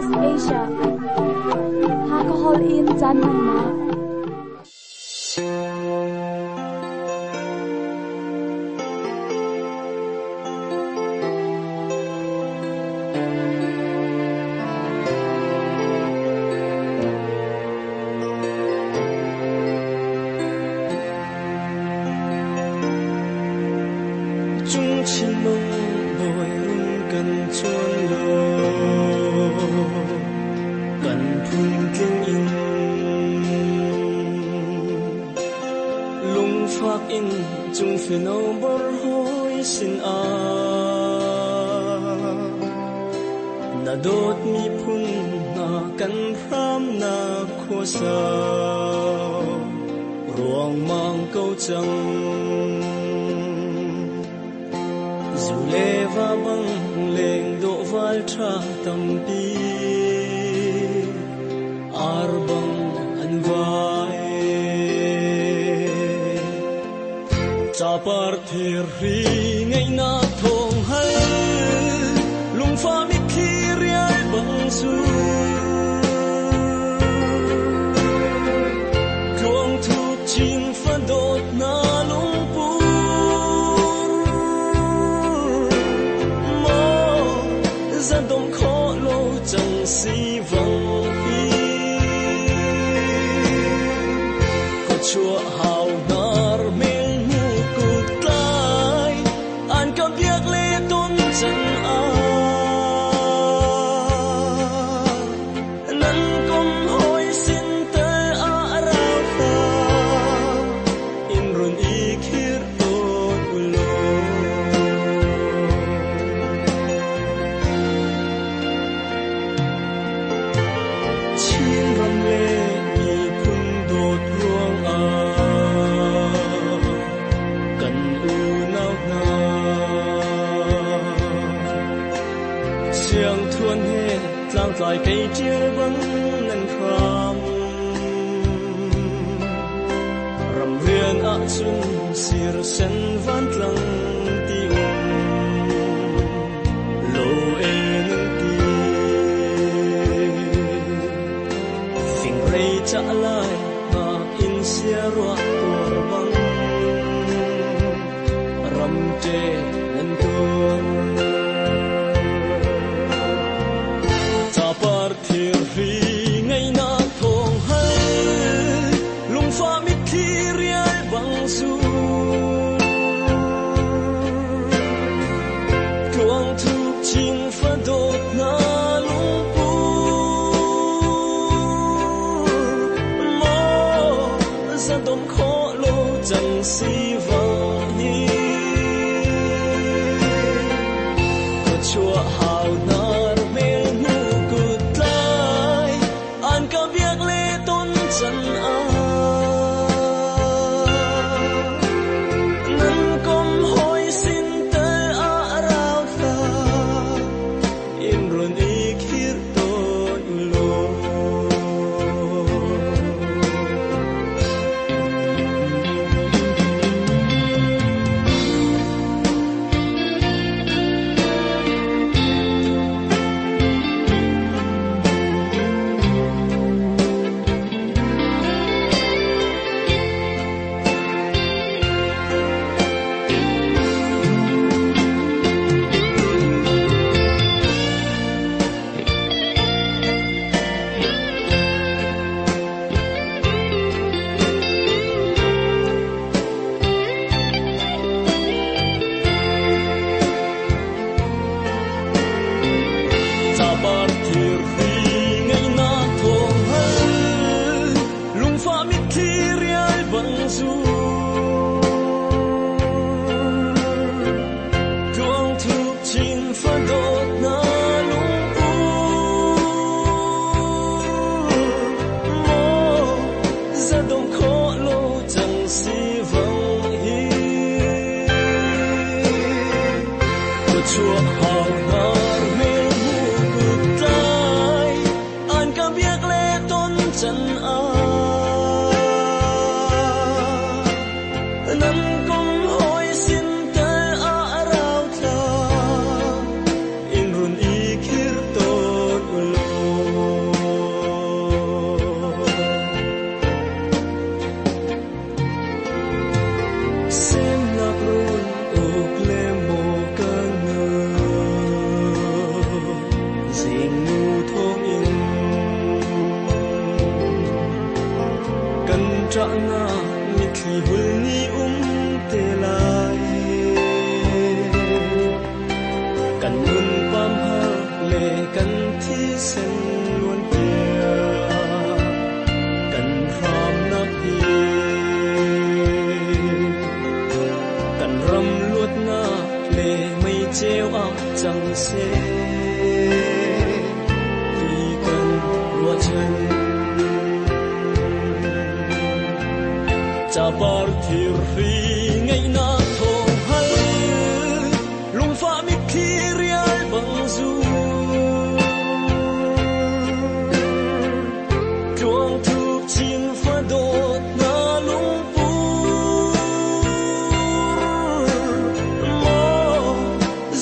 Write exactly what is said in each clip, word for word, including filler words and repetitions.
S B S Asia. Hakahol in caan hmannak. Chung chin mong boi run kan chuan lo kan phun tling in lung phak in chung fino bor hoi sin a na dot mi phun na kan ram na kho sa ruang mang câu chang dù lê va băng leng độ val tha tâm pi ar băng an vai cha par thir ri ngai na thong hal lung fa mi thi riai băng su truong thu chin fa dot na lung pu mo za dong kho lo chang si vang hi ko chua hau nar mel mu ku tlai an ka biak le ton chan a nan kom hoi sin te a ra tha in run i khir ton ulo. Chin ram le mi phun dot ruang a kan u nau na chiang thuan he tlang tlai kei chial bang nan khram ram rian a chun sir sen van tlang ti um lo e nan ti fing rei cha lai ma in sia ro tur bang ram che nan tur cha par thir ri ngai na thong hal lung fa mi thi riai bang su truang thu chin fa dot na lung pu mo za dom kho lo chang si vang hi ko chua hau nar mel nu ku tlai an ka biak le ton chan a nan kom hoi sin te a rau tha in run i khir ton lo. Chabar thir ri ngai na thong hal lung fa mi thi riai bang zu truang thu chin fa dot na lung pu mo za dong kho lo chang si vang hi ko chua hau nar mel mu ku tlai an ka biak le ton chan a nan kom hoi sin te a rau tha in run i khir ton ulo. Ṭahnak mitthli hul ni um te lai. Kan nun pam hak le kan thisen luan tia kan hramnak hi kan ram luatnak le mei ceu ah cang seh ti kan ruahchan. Capar thir hri ngaihnak thawng hal lungfah mitthli rial bang zu tluang thup chin fa dawt na lungpur maw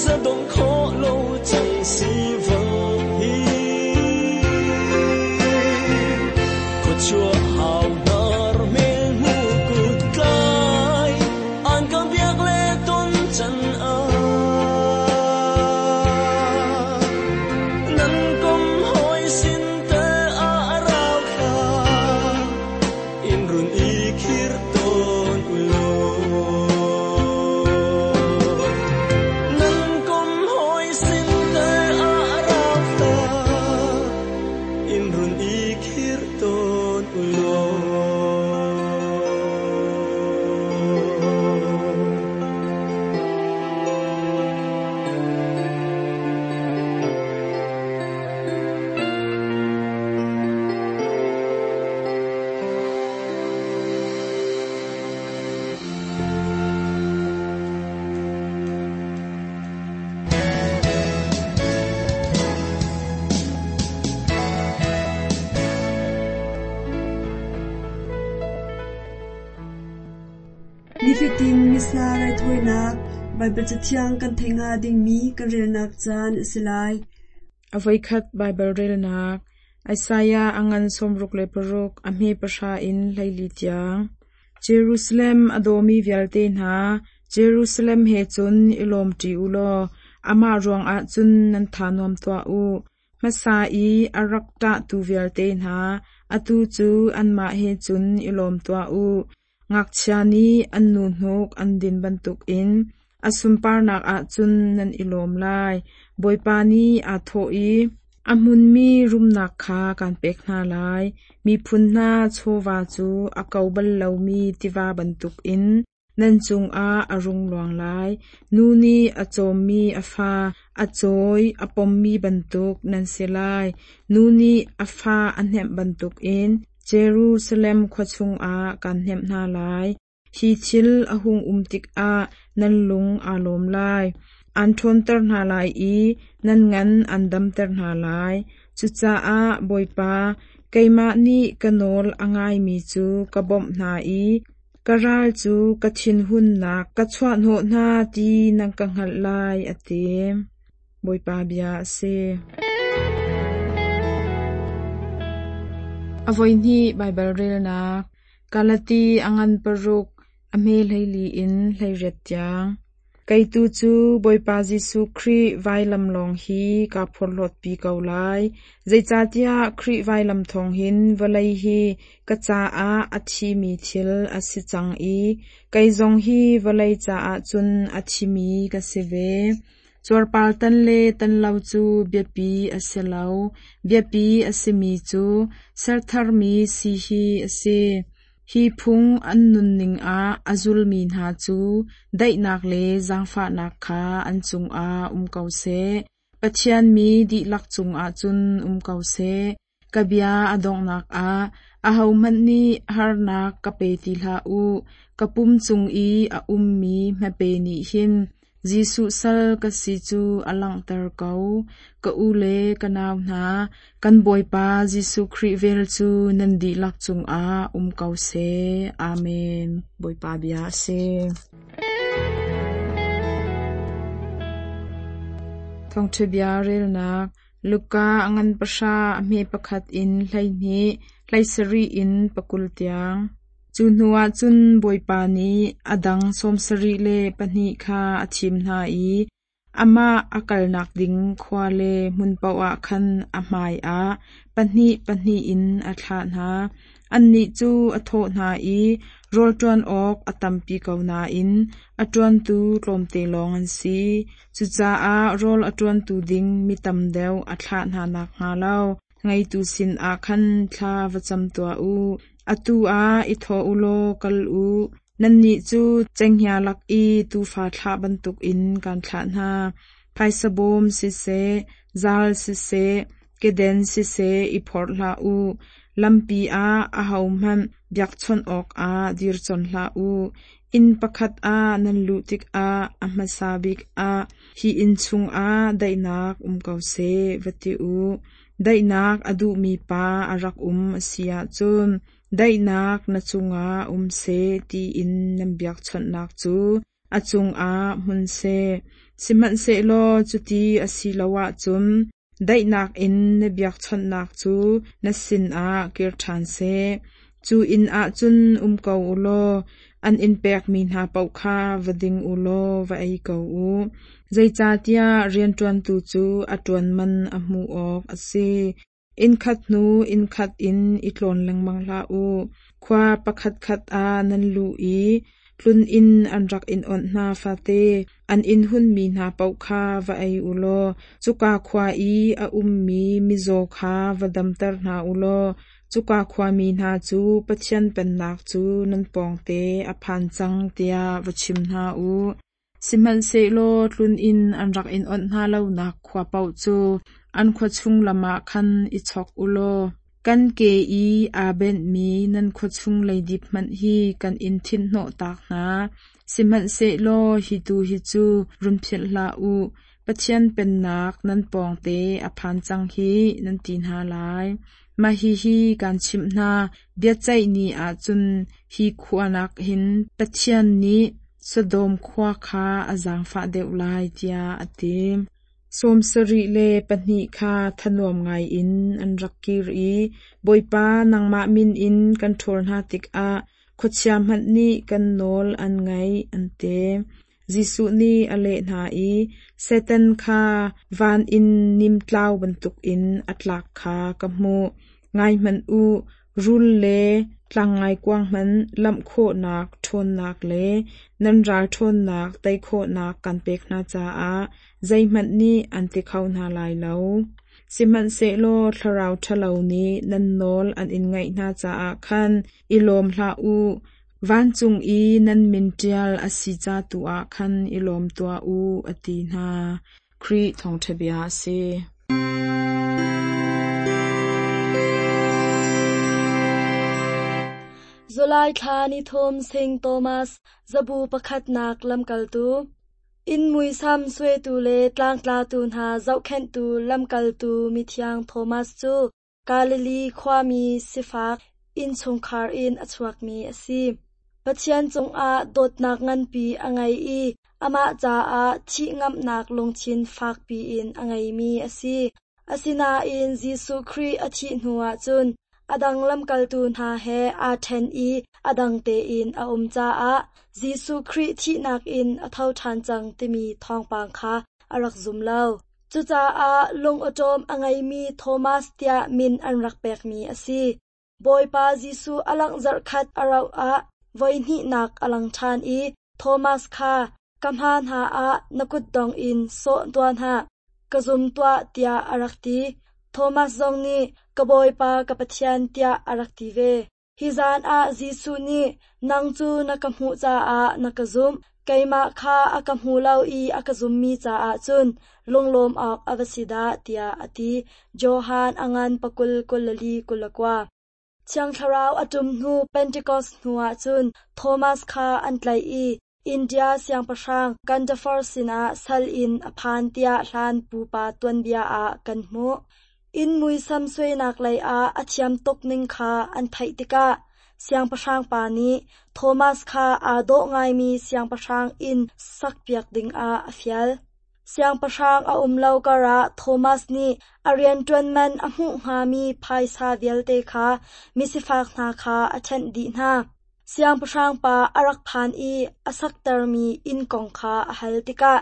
za dong kho lo cang si vang hi khuachua hau nar mel mu kut tlai an ka biak le ton chan a nan kom hoi sin te a rau kha in run i khir ton ulo nan kom hoi sin te a rau kha in run i khir ton ulo. Nifatin Missa raithawinak Baibal Cathiang kan theih hnga dingmi kan relnak caan a si lai. A voikhat Baibal relnak Isaiah a ngan sawmruk le paruk a hme pahra in hleili tiang. Jerusalem a dawmi vialte hna, Jerusalem he cun i lawm ṭi u law amah ruangah cun nan tha nuam tuah u. Hmasa i a rak ṭahtu vialte hna, atu cu anmah he cun i lawm tuah u. Ngakchia nih an nu hnuk an din bantukin a sunparnak ah cun nan i lawm lai. Bawipa nih aa thawh i a hmunmi rumnak kha kaan pek hna lai. Miphun hna chawva cu a ko bal lomi tiva bantukin nan cungah a rung luang lai. Nu nih a cawmmi a fa, a cawi a pommi bantuk nan si lai. Nu nih a fa a hnemh bantukin Jerusalem khua chungah kaan hnemh hna lai. Hi thil a hung um tikah nan lung aa lawm lai. An ṭhawnter hna lai i nan ngan an damter hna lai. Cucaah Bawipa, keimah nih ka nawl a ngaimi cu ka bawmh hna i ka ral cu ka thinhunnak ka chuahhnawh hna ti nan ka hngalh lai, a ti. Bawipa bia a si. A voihnih Baibal relnak Galati a ngan paruk a hme hleili in hleiriat tiang. Kei tu cu Bawipa Jesuh Khrih vailam lawng hi kaa phorhlawtpi ko lai. Zeicahtiah Khrih vailam thawng hin vawlei hi ka caah a thimi thil a si cang i kei zong hi vawlei caah cun a thimi ka si ve. Cuarpar tan le tan lo cu biapi a si lo. Biapi a simi cu sertharmi si hi a si. Hi phung an nunning ah a zulmi hna cu daihnak le zaangfahnak kha an cungah um ko seh. Pathian mi dihlak cungah cun um ko seh. Ka bia a donghnak ah ahohmanh nih harnak ka pe ti hlah u. Ka pum cung i a ummi hmape nih hin Jesuh sal ka si cu a langhter ko. Ka u le ka nau hna, kan Bawipa Jesuh Khrih vel cu nan dihlak cungah um ko seh. Amen. Bawipa bia a si. Thawngṭha bia relnak Luka a ngan pahra a hme pakhat in hleihnih hleisarih in pakul tiang. Cu hnuah cun Bawipa nih a dang sawmsarih le pahnih kha a thim hna i Amah a kalnak ding khua le hmun paoh ah khan a hmaiah pahnih pahnih in a thlah hna. Annih cu a thawh hna i, Rawl ṭuan awk a tampi ko nain a ṭuantu tlawmte lawng an si. Cucaah rawl a ṭuantu ding mi tam deuh a thlah hna nakhnga lo ngeitu sinah khan thla va cam tuah u. Atu ah i thawh u law kal u. Nannih cu cenghngia lak i tuufa thlah bantukin kaan thlah hna. Phaisa bawm siseh, zal siseh, keden siseh i phorh hlah u. Lampi ah ahohmanh biakchawnh awkah dir con hlah u. Inn pakhat ah nan luh tikah a hmasa bik ah, “Hi inn chungah daihnak um ko seh,” va ti u. Daihnak a duhmi pa a rak um a si ahcun, “Daihnak na cungah um seh,” tiin nan biakchawnhnak cu a cungah hmun seh. Sihmanhsehlaw cuti a si lo ahcun daihnak in na biakchawnhnak cu na sinah kir ṭhan seh. Cu inn ah cun um ko u law an in pekmi hna paoh kha va ding u law va ei ko u. Zeicahtiah rianṭuantu cu a ṭuan man a hmuh awk a si. Innkhat hnu innkhat in i tlawn lengmang hlah u. Khua pakhatkhat ah nan luh i tluninn an rak in onh hna fate an in hunmi hna paoh kha va ei u law cuka khua i a ummi mizaw kha va damter hna u law cuka khuami hna cu Pathian Pennak cu nan pawngte a phan cang tiah va chim hna u. Sihmanhsehlaw tluninn an rak in onh hna lonak khua paoh cu an khua chung lam ah khan i chok u law kan ke i aa benhmi nan khua chung leidip hmanh hi kan in thinhnawhtak hna. Sihmanhsehlaw hi tu hi cu run philh hlah u. Pathian Pennak nan pawngte a phan cang hih, nan ti hna lai. Mah hihi kaan chimh hna, biaceih ni ah cun hi khua nakin Pathian nih Sodom khua kha a zaangfah deuh lai, tiah a ti. Sawm sarih le pahnih kha thanuam ngaiin an rak kir i, Bawipa, nangmah min in kan ṭhawl hna tikah khuachia hmanh nih kan nawl an ngaih, an ti. Jesuh nih a leh hna i, Satan kha van in nimtlau bantukin a tlak kha ka hmuh. Ngai hmanh u, rul le tlangngaikuang hmanh lamh khawhnak ṭhawnnak le nan ral ṭhawnnak tei khawhnak kan pek hna caah zeihmanh nih an ti kho hna lai lo. Sihmanhsehlaw thlarau ṭhalo nih nan nawl an in ngaih hna caah khan i lawm hlah u. Vancung i nan min ṭial a si ca tu ah khan i lawm tuah u, a ti hna. Khrih Thawngṭha Bia a si. Zulai thla ni thum Sing Thomas zabu pakhatnak lamkaltu inn muisam suaitu le tlangtlatu hna zohkhenhtu lamkaltu mithiang Thomas cu Galilee khuami sifak innchungkhar in a chuakmi a si. Pathian cungah dawtnak nganpi a ngei i amah caah thih ngamhnak lungthin fakpi in a ngeimi a si. Asinain Jesuh Khrih a thih hnuah cun a dang lamkaltu hna he aa ṭhen i a dang tein a um caah Jesuh Khrih thihnak in a tho ṭhan cang timi thawngpang kha a rak zum lo. Cucaah lungawṭawm a ngeimi Thomas tiah min an rak pekmi a si. Bawipa Jesuh a langh zarhkhat a rauh ah voihnihnak a lang ṭhan i Thomas kha ka hma hna ah na kutdong in sawh tuah hna, ka zum tuah tiah a rak ti. Thomas zong nih ka Bawipa ka Pathian tiah a rak ti ve. Hi zan ah Jesuh nih nang cu na ka hmuh caah na ka zumh, keimah kha a ka hmu lo i a ka zummi caah cun lunglawm awk a va si dah tiah a ti. Johan a ngan pakul kulali kulakua. Thiang Thlarau a ṭum hnu Pentecost hnuah cun Thomas kha an tlaih i India siangpahrang Gandafar sinah sal in a phan tiah hlan pupa tuanbia ah kan hmuh. Inn muisam suainak lei ah a thiam tuk ning kha an theih tikah siangpahrang pa nih Thomas kha aa dawh ngaimi siangpahrang inn sakpiak dingah a fial. Siangpahrang a um lo karah Thomas nih a rianṭuan man a hmuh hngami phaisa vialte kha misifak hna kha a ṭhenh dih hna. Siangpahrang pa a rak phan i a saktermi inn kong kha a hal tikah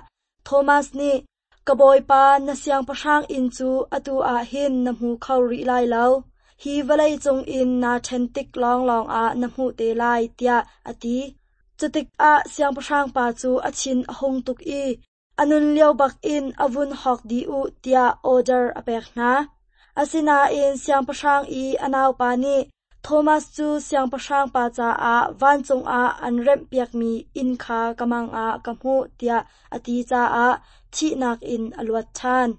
Thomas nih, Ka bawipa na siangpahrang inn cu atu ah hin na hmu kho rih lai lo. Hi vawlei cungin naa ṭhen tik lawnglawng ah na hmuh te lai, tiah a ti. Cutikah siangpahrang pa cu a thin a hung tuk i a nun lio bakin a vun hawk dih u tiah order a pek hna. Asinain siangpahrang i a naupa nih Thomas cu siangpahrang pa caah vancung ah an remhpiakmi inn kha ka mang ah ka hmuh tiah a ti caah thihnak in a luat ṭhan.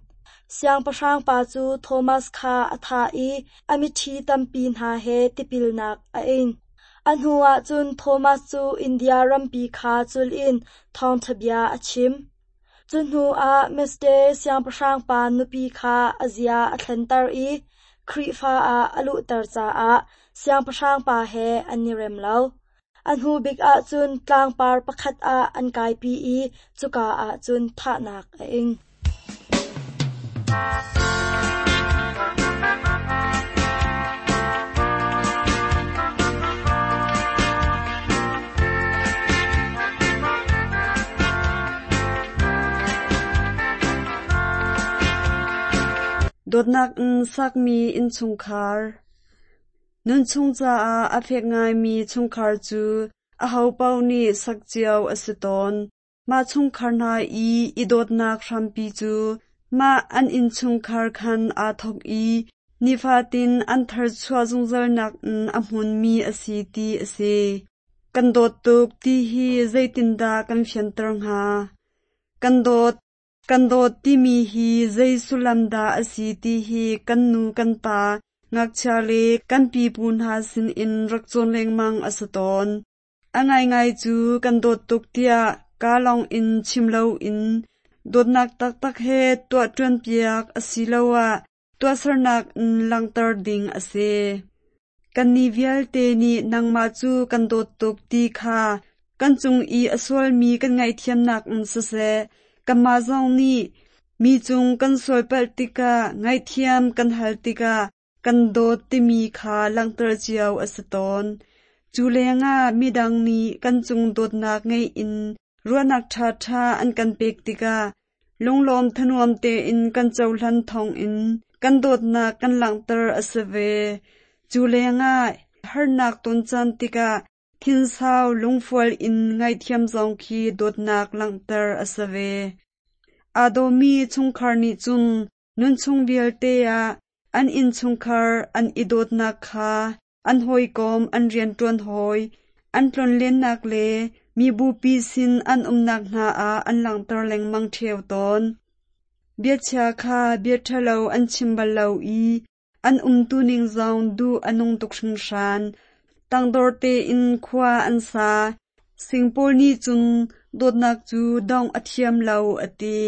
Siangpahrang pa cu Thomas kha a thah i a miṭhi tampi hna he tipilnak a ing. A hnuah cun Thomas cu India rampi kha cul in thawngṭha bia a chim. Cu hnuah Meste siangpahrang pa nupi kha a zia a thlenter i Khrihfa ah a luhter caah siangpahrang pa he an i rem lo. A hnu bik ah cun tlangpar pakhat ah an kaipi i cuka ah cun thahnak a ing. Dawtnak in sakmi innchungkhar. Nunchung caah a fek ngaimi chungkhar cu ahopaoh nih sak cio a si tawn. Mah chungkhar hna i i dawtnak hrampi cu mah an innchungkhar khan aa thawk i nifatin an tharchuah zungzalnak in a hmunmi a si ti a si. Kan dawt tuk ti hi zeitindah kan fianter hnga? Kan dawt Kan dawt timi hi zei sullam dah a si ti hi kan nu kan pa, ngakchia le kan pipu hna sinin rak cawn lengmang a si tawn. A ngaingai cu kan dawt tuk tiah kaa lawng in chim loin dawtnak taktak he tuah ṭuanpiak asiloah tuahsernak in langhter ding a si. Kannih vialte nih nangmah cu kan dawt tuk ti kha kan cung i a sualmi kan ngaihthiamnak in siseh, kanmah zong nih mi cung kan sualpalh tikah ngaihthiam kan hal tikah kan dawt timi kha langhter cio a si tawn. Cu lengah midang nih kan cung dawtnak ngei in ruahnak ṭhaṭha an kan pek tikah lunglawm thanuam tein kan cohlan thawngin kan dawtnak kan langhter a si ve. Cu lengah harnak ton caan tikah thinsau lungfual in ngaihthiam zong khi dawtnak langhter a si ve. Aa dawmi chungkhar nih cun nunchung vialte ah an innchungkhar an i dawtnak kha an hawikom an rianṭuan hawi, an tlonlennak le mibupi sin an umnak hna ah an langhter lengmang ṭheo tawn. Biachia kha bia ṭhalo an chim bal lo i an umtuning zong duh a nung tuk hringhran. Tangdor tein khua an sa. Sing pawl nih cun dawtnak cu dongh a thiam lo a ti.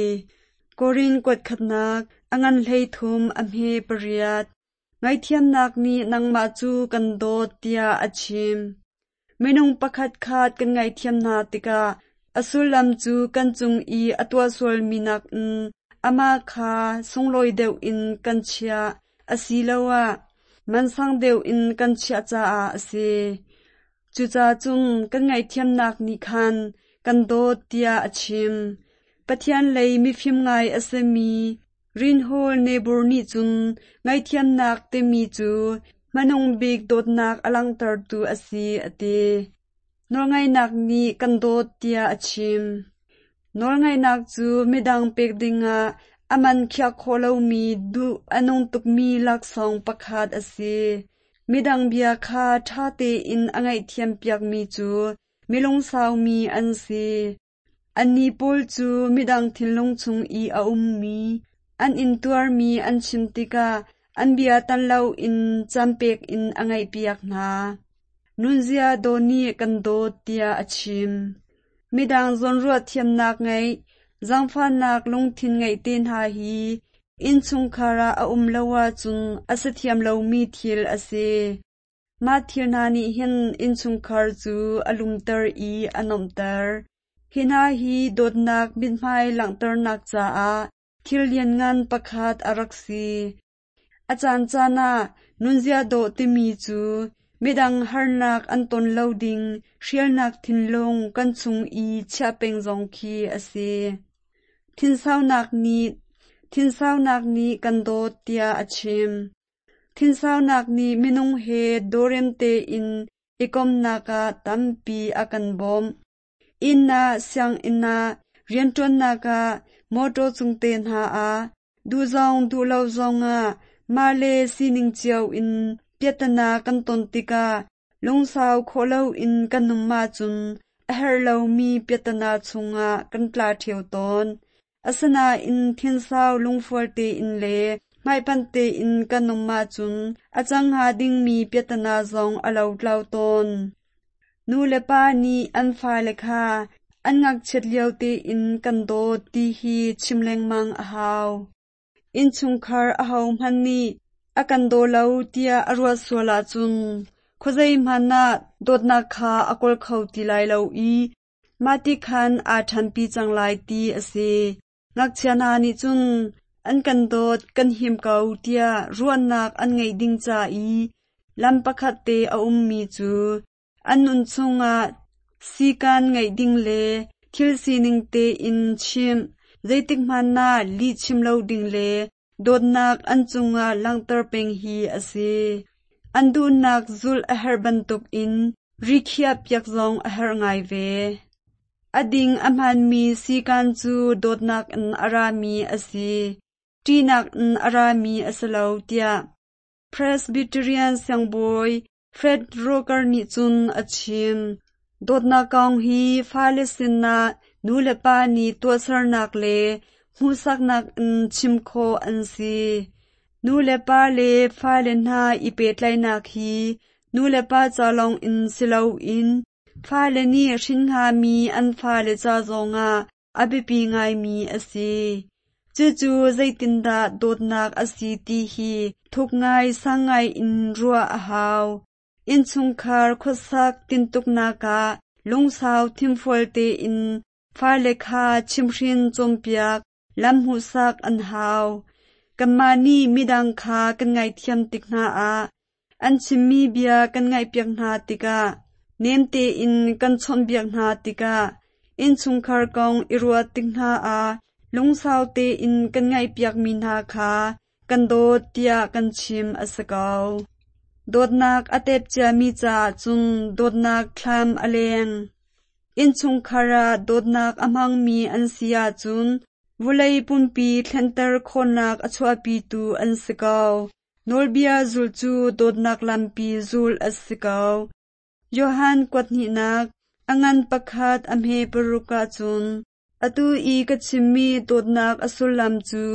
Korin kuat khatnak a ngan hlei thum a hme pariat. Ngaihthiamnak nih nangmah cu kan dawt tiah a chim. Minung pakhat khat kan ngaihthiam hna tikah a sullam cu kan cung i a tuah sualmi nakin amah kha sunglawi deuh in kan chiah asiloah mansang deuh in kan chiah caah a si. Cucaah cun kan ngaihthiamnak nih khan kan dawt tiah a chim. Pathian lei mifim ngai a simi Reinhold Niebuhr nih cun ngaihthiamnak timi cu hmanung bik dawtnak a langhtertu a si a ti. Nawlngaihnak nih kan dawt tiah a chim. Nawlngaihnak cu midang pek dingah a man khiah khawh lomi duh a nung tukmi laksawng pakhat a si. Midang bia kha ṭha tein a ngaihthiam piakmi cu milungsaumi an si. Annih pawl cu midang thinlung chung i a ummi, an intuarmi an chim tikah an bia tan loin caan pek in a ngaihpiak hna. Nunzia dawh nih kan dawt tiah a chim. Midang zawnruah thiamnak ngeih, zaangfahnak lungthin ngeih te hna hi innchungkhar ah a um lo ahcun a si thiam lomi thil a si. Mah thil hna nih hin innchungkhar cu a lumter i a nuamhter. Hi hna hi dawtnak mithmai langhternak caah thil lianngan pakhat a rak si. A caancaan ah nunzia dawh timi cu midang harnak an ton lo ding hrialnak thinlung kan chung i chiah peng zong khi a si. Thinsaunak nih thinsaunak nih kan dawt tiah a chim. Thinsaunak nih minung he dawrem tein i komhnak ah tampi a kan bawmh. Inn ah, sianginn ah, rianṭuannak ah, mawṭaw cung te hna ah, duh zong duh lo zongah mah le sining cio in piahtana kan ton tikah lungsau khawh loin kan um ahcun a herh lomi piahtana chungah kan tla ṭheo tawn. Asinain thinsau lungfual tein le hmaipanh tein kan um ahcun a cang hnga dingmi piahtana zong a lotlau tawn. Nu le pa nih an fale kha an ngakchiat lio tein kan dawt ti hi chim lengmang a hau. Innchungkhar ahohmanh nih a kan daw lo tiah a ruat sual ahcun khuazei hmanh ah dawtnak kha a kawl kho ti lai lo i mahti khan aa ṭhanpi cang lai ti a si. Ngakchia hna nih cun an kan dawt kan him ko tiah ruahnak an ngeih ding ca i lam pakhat te a ummi cu an nun chungah sikan ngeih ding le thil sining tein chimh, zeitik hmanh ah lih chim lo ding le dawtnak an cungah langhter peng hi a si. An duhnak zulh a herh bantukin rikhiah piak zong a herh ngai ve. A ding a hmaanmi sikan cu dawtnak in a rami a si, ṭihnak in a rami a si lo tiah Presbyterian siangbawi Fred Rocker nih cun a chim. Dawtnak kong hi fale sinah nu le pa nih tuahsernak le hmuhsaknak in chim khawh an si. Nu le pa le fale hna i pehtlaihnak hi nu le pa ca lawng in si loin fale nih hrin hngami an fale ca zongah a biapi ngaimi a si. Cucu zeitindah dawtnak a si ti hi thuk ngai sang ngai in ruah a hau. Innchungkhar khuasak tintuknak ah lungsau thinfual tein fale kha chimhhrin cawnpiak lam hmuhsak an hau. Kanmah nih midang kha kan ngaihthiam tik hna ah an chimmi bia kan ngaihpiak hna tikah nem tein kan chawnhbiak hna tikah innchungkhar kong i ruat tik hna ah lungsau tein kan ngaihpiakmi hna kha kan dawt tiah kan chim a si ko. Dawtnak a tep ciami caah cun dawtnak thlam a leng. Innchungkhar ah dawtnak a hmangmi an si ahcun vawlei pumpi thlenter khawhnak a chuahpitu an si ko. Nawlbia zulh cu dawtnak lampi zulh a si ko. Johan kuathnihnak a ngan pakhat a hme paruk ahcun atu i ka chimmi dawtnak a sullam cu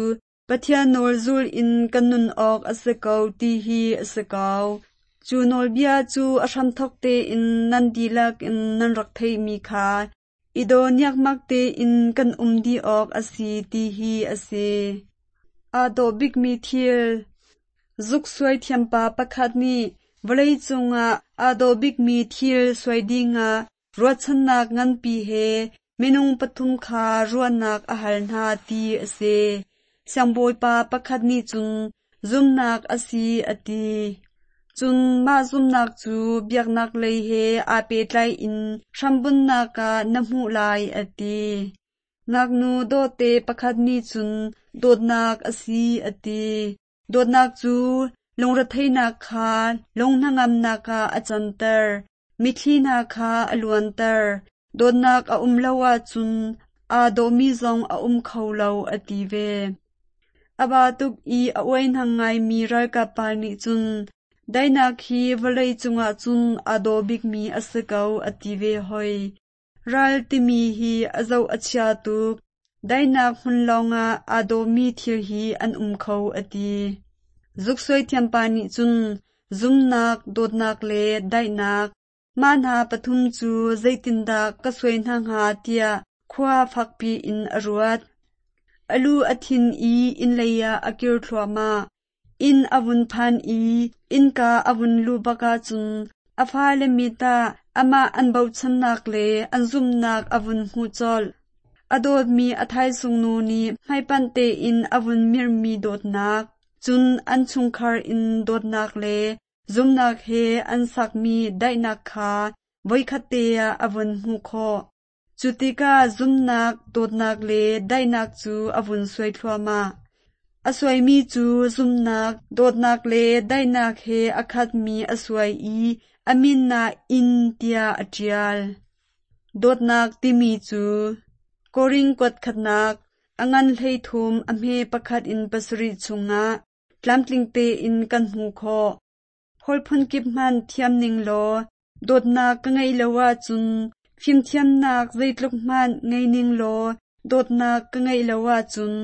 Pathian nawl zul in kan nun awk a si ko ti hi a si ko. Cu nawlbia cu a hramthawk tein nan dihlak in nan rak theihmi kha i daw niakmak tein kan um dih awk a si ti hi a si. Aa dawh bikmi thil Zuk suai thiampa pakhat nih vawlei cungah aa dawh bikmi thil suai dingah ruahchannak nganpi he minung pathum kha ruahnak a hal hna ti a si. Siangbawipa pakhat nih cun zumnak a si a ti. Cun mah zumnak cu biaknak lei he aa pehtlai in hrambunnak ah na hmuh lai a ti. Ngaknu dawhte pakhat nih cun dawtnak a si a ti. Dawtnak cu lungretheihnak kha lunghnangamnak ah a canter, mitthli hna kha a luanter. Dawtnak a um lo ahcun aa dawhmi zong a um kho lo a ti ve. A ba tuk i a uaihnang ngaimi ralkap pa nih cun daihnak hi vawlei cungah cun aa dawh bikmi a si ko a ti ve hoi. Ral timi hi a zoh a chia tuk. Daihnak hmun lawngah aa dawhmi thil hi an um kho a ti. Zuksuai thiampa nih cun zumnak, dawtnak le daihnak mah hna pathum cu zeitindah ka suai hna hnga tiah khua fakpi in a ruat. A lu a thin i inn lei ah a kir thluahmah. Inn a vun phan i innka a vun luh bak ahcun a fale mit ah amah an bochannak le an zumhnak a vun hmuh colh. A dawtmi a thaisung nu nih hmaipanh tein a vun mirhmi dawtnak, cun an chungkhar in dawtnak le zumnak he an sakmi daihnak kha voikhat te ah a vun hmuh khawh. Cu tikah zumnak, dawtnak le daihnak cu a vun suai thluahmah. A suaimi cu zumnak, dawtnak le daihnak he a khatmi a suai i a min ah inn tiah a ṭial. Dawtnak timi cu Korin kuat khatnak, a ngan hleithum a hme pakhat in pasarih chungah tlamtling tein kan hmuh khawh. Holh phunkip hmanh thiam ning law dawtnak ka ngeih lo ahcun fimthiamnak zeitluk hmanh ngei ning law dawtnak ka ngeih lo ahcun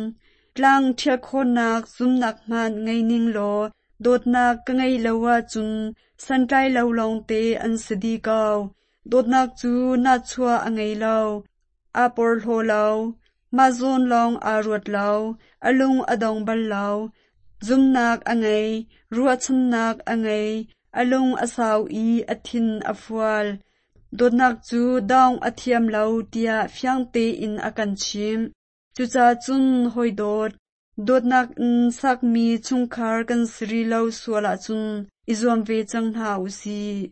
tlang ṭhial khawhnak zumnak hmanh ngei ning law dawtnak ka ngeih lo ahcun santlai lo lawngte an si dih ko. Dawtnak cu nahchuah a ngei lo, aa porhlaw lo, mah zawn lawng aa ruat lo, a lung a dong bal lo. Zumnak a ngei, ruahchannak a ngei, a lung a sau i a thin a fual. Dawtnak cu dong a thiam lo tiah fiang tein a kan chimh. Cucaah cun hawi dawt, dawtnak in sakmi chungkhar kan si rih lo sual ahcun i zuam ve cang hna usih.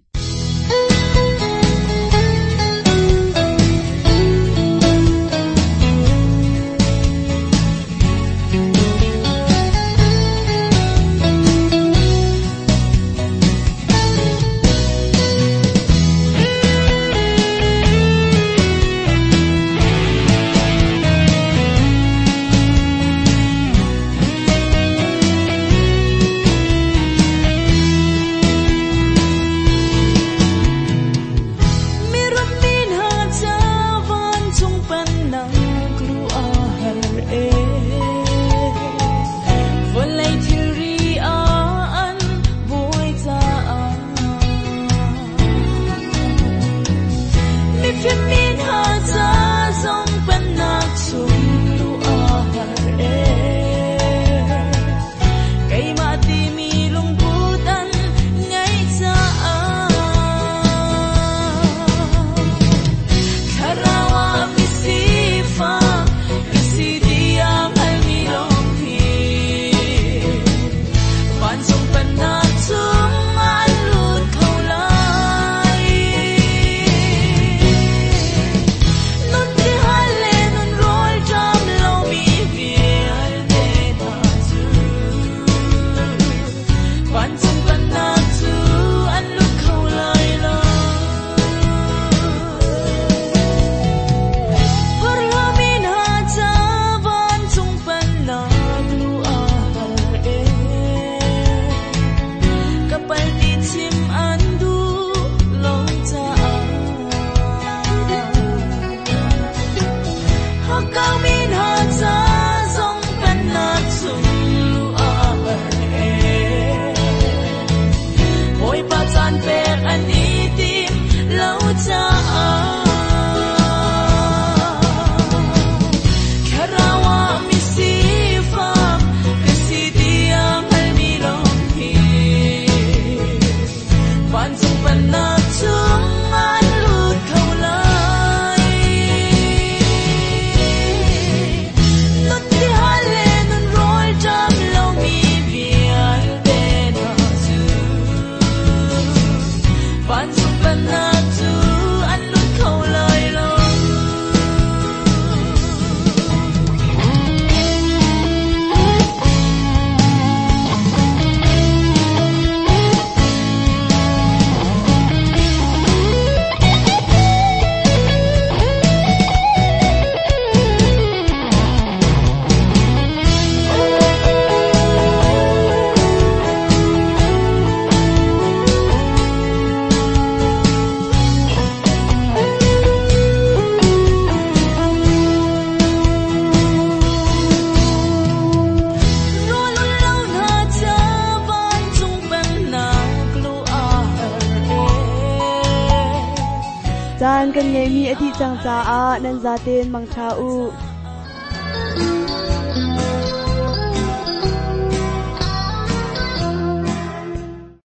Caan kan ngeimi a dih cang caah nan zaten mangṭha u.